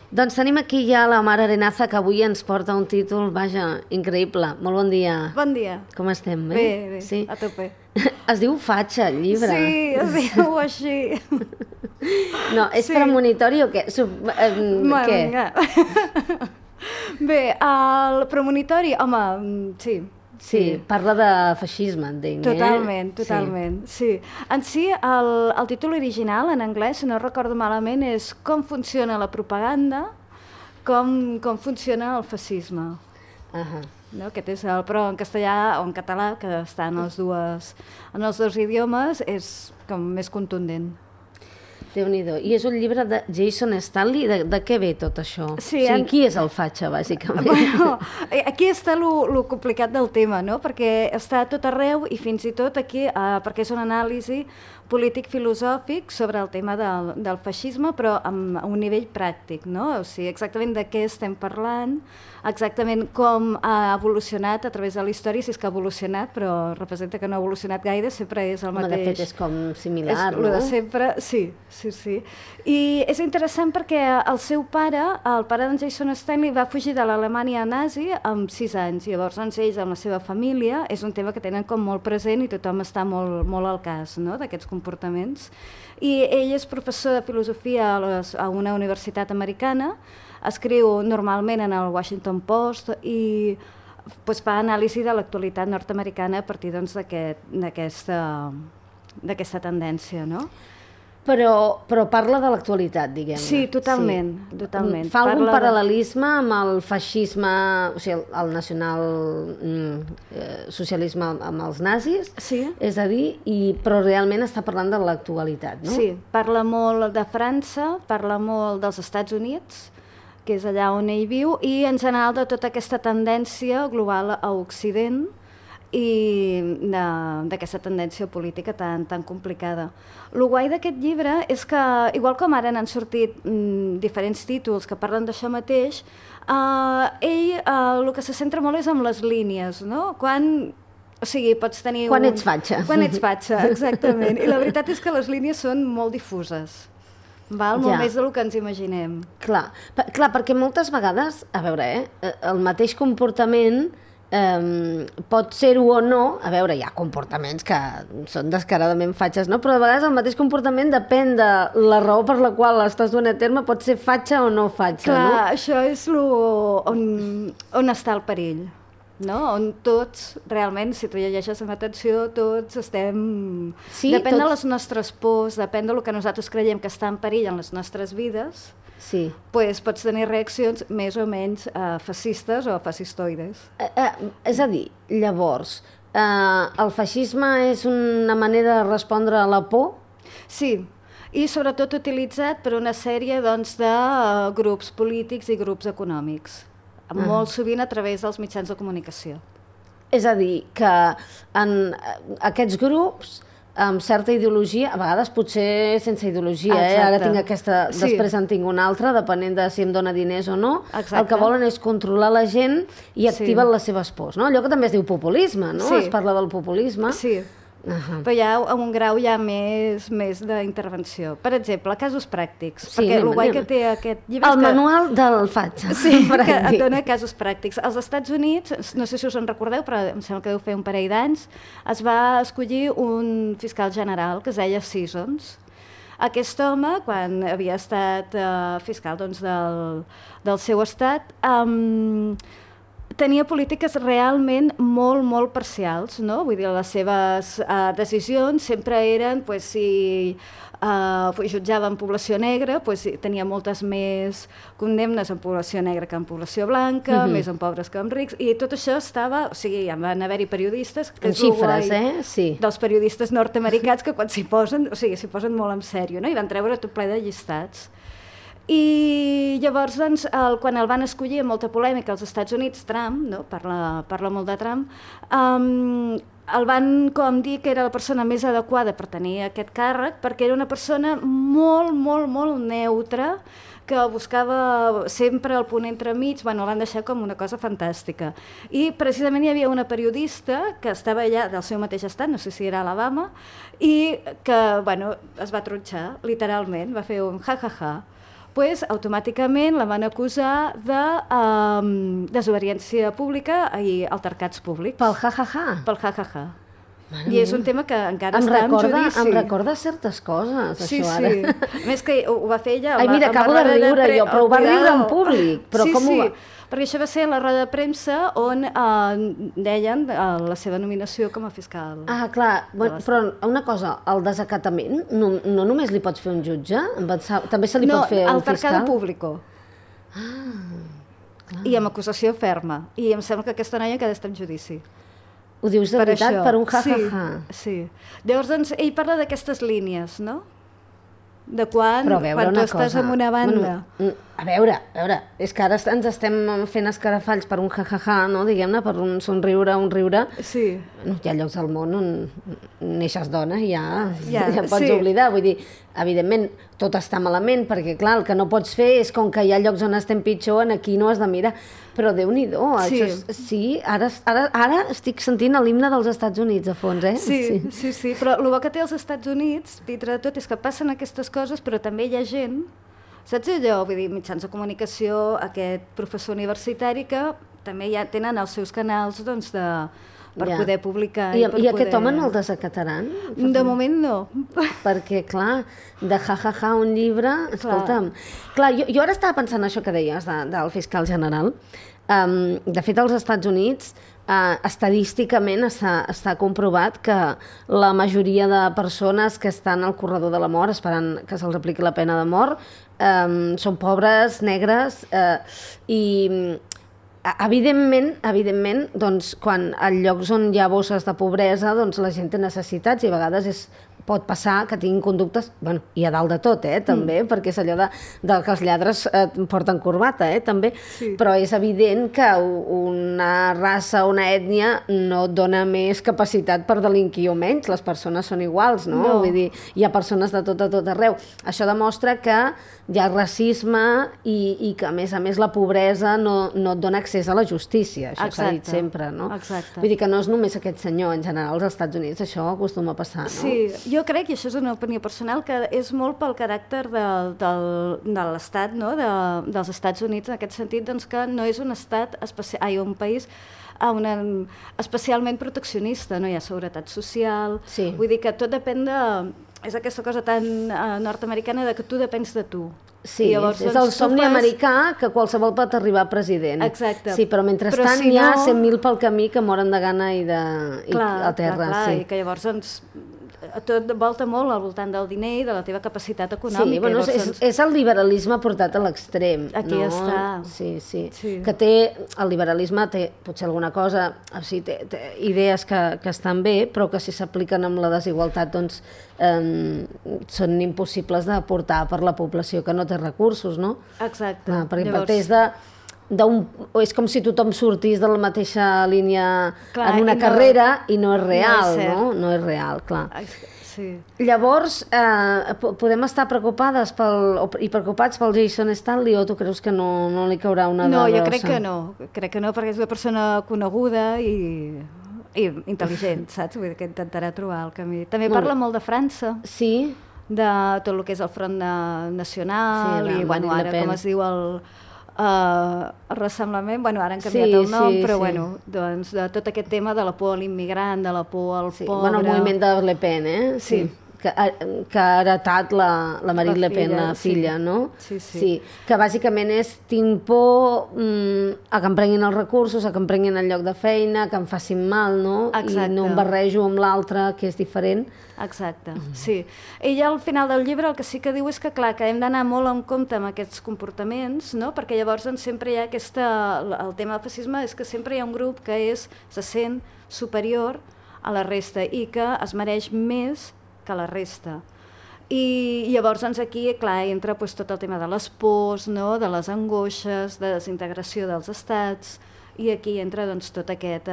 Doncs tenim aquí ja la Mar Arenaza, que avui ens porta un títol, vaja, increïble. Molt bon dia. Bon dia. Com estem? Bé, sí? a tope. Es diu Fatxa, el llibre. Sí, es diu així. No, és premonitori o què? Què? Bé, el premonitori, home, sí. Sí, parla de feixisme, entenc. Totalment. Sí. En si, el títol original, en anglès, si no recordo malament, és Com funciona la propaganda, com funciona el feixisme. No? Aquest és però en castellà o en català, que està en els dos idiomes, és com més contundent. Déu-n'hi-do. I és un llibre de Jason Stanley. De què ve tot això? Sí, qui és el Fatxa, bàsicament? Bueno, aquí està lo complicat del tema, no? Perquè està a tot arreu i fins i tot aquí, perquè és una anàlisi polític-filosòfic sobre el tema del feixisme, però a un nivell pràctic, no? O sigui, exactament de què estem parlant, exactament com ha evolucionat a través de la història, si és que ha evolucionat, però representa que no ha evolucionat gaire, sempre és el mateix. De fet, és com similar, no? És de sempre, sí. I és interessant perquè el seu pare, el pare d'en Jason Stanley, va fugir de l'Alemanya nazi amb 6 anys. Llavors, ells, amb la seva família, és un tema que tenen com molt present i tothom està molt al cas, no?, d'aquests comportaments. I ell és professor de filosofia a una universitat americana, escriu normalment en el Washington Post i fa anàlisi de l'actualitat nord-americana a partir d'aquesta tendència, no? Però parla de l'actualitat, diguem-ne. Sí, totalment. Fa algun paral·lelisme amb el feixisme, o sigui, el nacional socialisme amb els nazis? Sí. És a dir, però realment està parlant de l'actualitat, no? Sí, parla molt de França, parla molt dels Estats Units, que és allà on ell viu, i en general de tota aquesta tendència global a Occident i d'aquesta tendència política tan complicada. El guai d'aquest llibre és que, igual com ara n'han sortit diferents títols que parlen d'això mateix, ell el que se centra molt és en les línies, no? O sigui, pots tenir... Quan ets fatxa. Quan ets fatxa, exactament. I la veritat és que les línies són molt difuses. Molt més del que ens imaginem. Clar, perquè moltes vegades, a veure, el mateix comportament pot ser-ho o no. A veure, hi ha comportaments que són descaradament fatxes, no? Però de vegades el mateix comportament depèn de la raó per la qual l'estàs duent a terme, pot ser fatxa o no fatxa, no? Clar, això és on està el perill, no? On tots, realment, si tu llegeixes amb atenció, tots estem... Sí, depèn de les nostres pors, depèn del que nosaltres creiem que està en perill en les nostres vides, sí. Pots tenir reaccions més o menys fascistes o fascistoides. És a dir, llavors, el feixisme és una manera de respondre a la por? Sí, i sobretot utilitzat per una sèrie de grups polítics i grups econòmics, molt sovint a través dels mitjans de comunicació. És a dir, que en aquests grups amb certa ideologia, a vegades potser sense ideologia, ara tinc aquesta, després en tinc una altra, depenent de si em dona diners o no. Exacte. El que volen és controlar la gent i activen les seves pors, no? Allò que també es diu populisme, no? Es parla del populisme. Sí, però hi ha un grau ja més d'intervenció. Per exemple, casos pràctics, perquè el guai que té aquest llibre... El manual del fatxa. Sí, que et dona casos pràctics. Als Estats Units, no sé si us en recordeu, però em sembla que deu fer un parell d'anys, es va escollir un fiscal general que es deia Sessions. Aquest home, quan havia estat fiscal del seu estat, tenia polítiques realment molt parcials, no? Vull dir, les seves decisions sempre eren, si jutjaven població negra, tenia moltes més condemnes en població negra que en població blanca, més en pobres que en rics, i tot això estava... O sigui, van haver-hi periodistes... En xifres, sí. Dels periodistes nord-americans que quan s'hi posen, s'hi posen molt en sèrio, no? I van treure tot ple de llistats. I llavors, quan el van escollir amb molta polèmica als Estats Units, Trump, no? Parla molt de Trump, el van dir que era la persona més adequada per tenir aquest càrrec, perquè era una persona molt neutra, que buscava sempre el punt entremig, l'han deixat com una cosa fantàstica. I precisament hi havia una periodista que estava allà del seu mateix estat, no sé si era Alabama, i que es va tronxar, literalment, va fer un ja-ja-ja, pues, automàticament la van acusar de desobediència pública i altercats públics. Pel ha-ha-ha? Pel ha-ha-ha. I és un tema que encara està en judici. Em recorda certes coses, sí, això ara. Sí, a més que ho va fer ella... Ai, mira, acabo de riure jo, però ho va riure en públic. Però sí, com ho va? Perquè això va ser la roda de premsa on deien la seva nominació com a fiscal. Ah, clar, però una cosa, el desacatament no només li pots fer un jutge? També se li pot fer un fiscal? No, altercado público. Clar. I amb acusació ferma. I em sembla que aquesta noia queda en judici. Ho dius de veritat? Per un ha-ha-ha? Sí. Llavors, doncs, ell parla d'aquestes línies, no? De quan tu estàs en una banda... A veure, és que ara ens estem fent escarafalls per un ha-ha-ha, no? Diguem-ne, per un somriure, un riure. Sí. Hi ha llocs al món on neixes dona i ja pots oblidar. Vull dir, evidentment, tot està malament, perquè, clar, el que no pots fer és com que hi ha llocs on estem pitjor, aquí no has de mirar. Però Déu-n'hi-do, sí, ara estic sentint l'himne dels Estats Units a fons, eh? Sí, però el bo que té els Estats Units, dintre de tot, és que passen aquestes coses, però també hi ha gent, saps allò? Vull dir, mitjans de comunicació, aquest professor universitari que també ja tenen els seus canals, doncs, per poder publicar. I aquest home no el desacataran? De moment no. Perquè, clar, de ha-ha-ha un llibre... Escolta'm, clar, jo ara estava pensant això que deies del fiscal general. De fet, als Estats Units, estadísticament està comprovat que la majoria de persones que estan al corredor de la mort esperant que se'ls apliqui la pena de mort són pobres, negres i... Evidentment, doncs, quan a llocs on hi ha bosses de pobresa, doncs la gent té necessitats i a vegades pot passar que tinguin conductes, bueno, i a dalt de tot, també, perquè és allò de que els lladres porten corbata, també, però és evident que una raça o una ètnia no et dona més capacitat per delinquir o menys, les persones són iguals, no? Vull dir, hi ha persones de tot arreu. Això demostra que hi ha racisme i que, a més, la pobresa no et dona accés a la justícia, això s'ha dit sempre, no? Exacte. Vull dir que no és només aquest senyor, en general, als Estats Units això acostuma a passar, no? Sí, jo crec, i això és una opinió personal, que és molt pel caràcter de l'Estat, no? Dels Estats Units, en aquest sentit, doncs, que no és un estat, un país especialment proteccionista, no hi ha seguretat social, vull dir que tot depèn de... És aquesta cosa tan nord-americana de que tu depens de tu. Sí, llavors, és el somni americà que qualsevol pot arribar a president. Exacte. Sí, però mentrestant hi ha 100.000 pel camí que moren de gana i a terra. Clar, i que llavors tot volta molt al voltant del diner i de la teva capacitat econòmica. Sí, bueno, és el liberalisme portat a l'extrem. Aquí està. Sí. Que té, el liberalisme té potser alguna cosa, té idees que estan bé, però que si s'apliquen amb la desigualtat, doncs són impossibles de portar per la població que no té recursos, no? Exacte. Perquè parteix és com si tothom sortís de la mateixa línia en una carrera i no és real, no? No és real, clar. Sí. Llavors, podem estar preocupades i preocupats pel Jason Stanley o tu creus que no li caurà una de brossa? No, jo crec que no, perquè és una persona coneguda i intel·ligent, saps? Vull dir que intentarà trobar el camí. També parla molt de França. Sí. De tot el que és el Front Nacional i, bueno, ara, com es diu el ressemblament, bueno, ara han canviat el nom, però bueno, doncs de tot aquest tema de la por a l'immigrant, de la por al pobre... Bueno, el moviment de Le Pen, Sí. Que ha heretat la Marine Le Pen, la filla, no? Sí. Que bàsicament és tinc por a que em prenguin els recursos, a que em prenguin el lloc de feina, que em facin mal, no? Exacte. I no em barrejo amb l'altre, que és diferent. Exacte, sí. Ella al final del llibre el que sí que diu és que, clar, que hem d'anar molt en compte amb aquests comportaments, no? Perquè llavors sempre hi ha el tema del fascisme és que sempre hi ha un grup que se sent superior a la resta i que es mereix més que la resta. I llavors aquí, clar, entra tot el tema de les pors, no? De les angoixes, de desintegració dels estats, i aquí entra tot aquest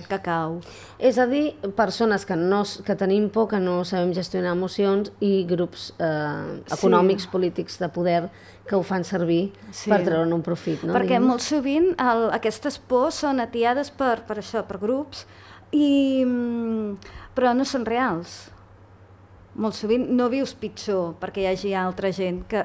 cacau. És a dir, persones que tenim por, que no sabem gestionar emocions i grups econòmics, polítics de poder que ho fan servir per treure'n un profit. No? Perquè molt sovint aquestes pors són atiades per grups, però no són reals. molt sovint no vius pitjor perquè hi hagi altra gent que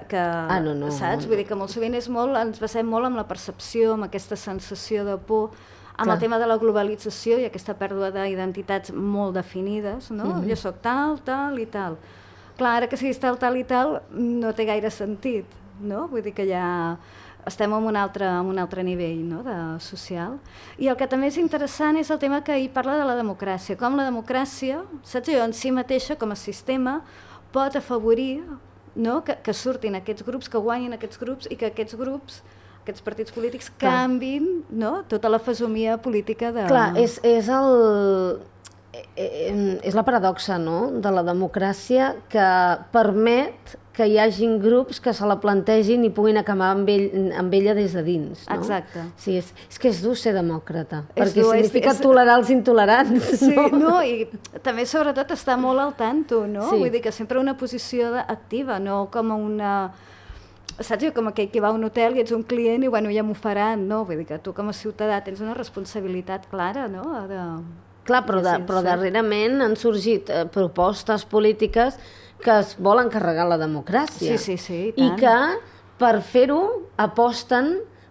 no. Saps? Vull dir que molt sovint ens basem molt en la percepció, amb aquesta sensació de por, amb el tema de la globalització i aquesta pèrdua d'identitats molt definides, no? Jo soc tal, tal i tal. Clar, ara que siguis tal, tal i tal, no té gaire sentit, no? Vull dir que ja estem en un altre nivell, no? Social. I el que també és interessant és el tema que ell parla de la democràcia, com la democràcia, saps jo, en si mateixa, com a sistema, pot afavorir, no? que surtin aquests grups, que guanyin aquests grups i que aquests grups, aquests partits polítics, canvin, no? Tota la fesomia política de... Clar, és la paradoxa, no?, de la democràcia que permet que hi hagin grups que se la plantegin i puguin acabar amb ella des de dins, no? Exacte. Sí, és que és dur ser demòcrata, perquè significa tolerar els intolerants. Sí, no? I també sobretot estar molt al tanto, no? Vull dir que sempre una posició activa, no com una... Saps, com aquell que va a un hotel i ets un client i bueno, ja m'ho faran, no? Vull dir que tu com a ciutadà tens una responsabilitat clara, no? Clar, però darrerament han sorgit propostes polítiques que es volen carregar la democràcia. Sí, i tant. I que per fer-ho aposten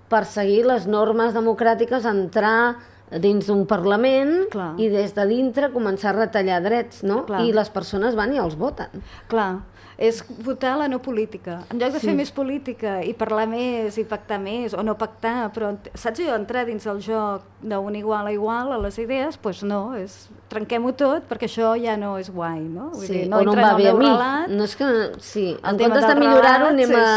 per seguir les normes democràtiques, entrar dins d'un Parlament i des de dintre començar a retallar drets, no? I les persones van i els voten. Clar, és votar la no política. En lloc de fer més política i parlar més i pactar més, o no pactar, però, saps jo, entrar dins el joc d'un igual a igual a les idees, doncs no, trenquem-ho tot perquè això ja no és guai, no? Vull dir, no o no em va bé a mi. No és que, en comptes de millorar-ho anem a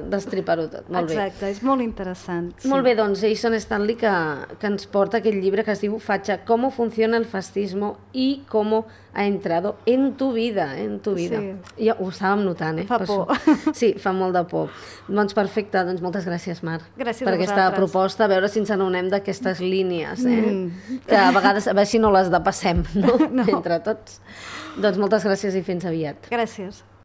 destripar-ho tot. Molt bé. Exacte, és molt interessant. Molt bé, doncs Jason Stanley que ens porta aquest llibre que es diu Facha, cómo funciona el fascismo y cómo ha entrado en tu vida, en tu vida. Ja ho estàvem notant, Fa por. Sí, fa molt de por. Doncs perfecte, doncs moltes gràcies, Mar. Gràcies per aquesta proposta, a veure si ens anonem d'aquestes línies, que a vegades, a veure si no les depassem, no? Entre tots. Doncs moltes gràcies i fins aviat. Gràcies.